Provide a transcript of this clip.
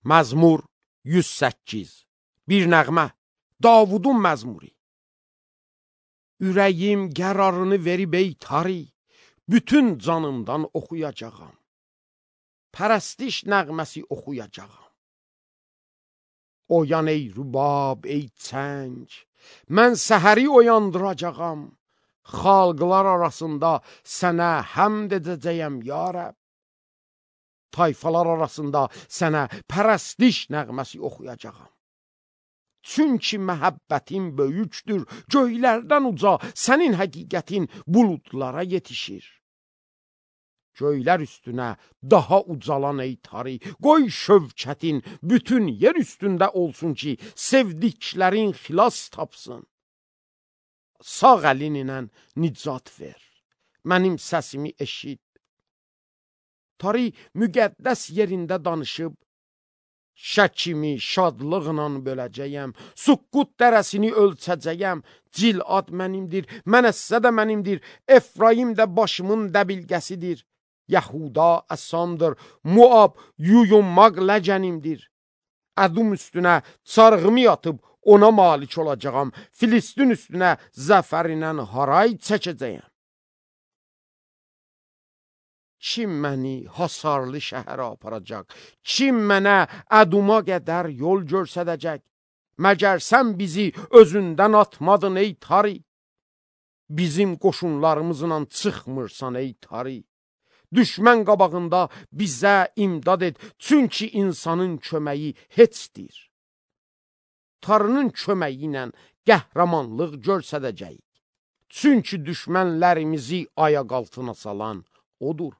Məzmur 108. Bir nəğmə, Davudun məzmuri. Ürəyim qərarını verib ey tari, bütün canımdan oxuyacağam. Pərəstiş nəğməsi oxuyacağam. Oyan ey rübab, ey çəng, mən səhəri oyandıracağam. Xalqlar arasında sənə həmd edəcəyəm ya Rəbb. Tayfalar arasında sənə pərəstiş nəğməsi oxuyacağam. Çünki məhəbbətin böyükdür, göylərdən uca sənin həqiqətin buludlara yetişir. Göylər üstünə daha ucalan ey tari, qoy şövkətin bütün yer üstündə olsun ki, sevdiklərin xilas tapsın. Sağ əlin ilə nicat ver, mənim səsimi eşit. Tari müqəddəs yerində danışıb, şəkimi şadlıqla böləcəyəm, Suqqut dərəsini ölçəcəyəm, Cilad mənimdir, Mənəssə də mənimdir, Efraim də başımın dəbilqəsidir. Yahuda əsamdır, Muab yuyunmaq ləcənimdir. Ədum üstünə çarğımı yatıb ona malik olacağam, Filistin üstünə zəfərinə haray çəkəcəyəm. Kim məni hasarlı şəhərə aparacaq? Kim mənə Əduma qədər yol görsədəcək? Məgər sən bizi özündən atmadın ey tari? Bizim qoşunlarımızla çıxmırsan ey tari. Düşmən qabağında bizə imdad et, çünki insanın köməyi heçdir. Tarının köməyi ilə qəhrəmanlıq görsədəcəyik. Çünki düşmənlərimizi ayaq altına salan odur.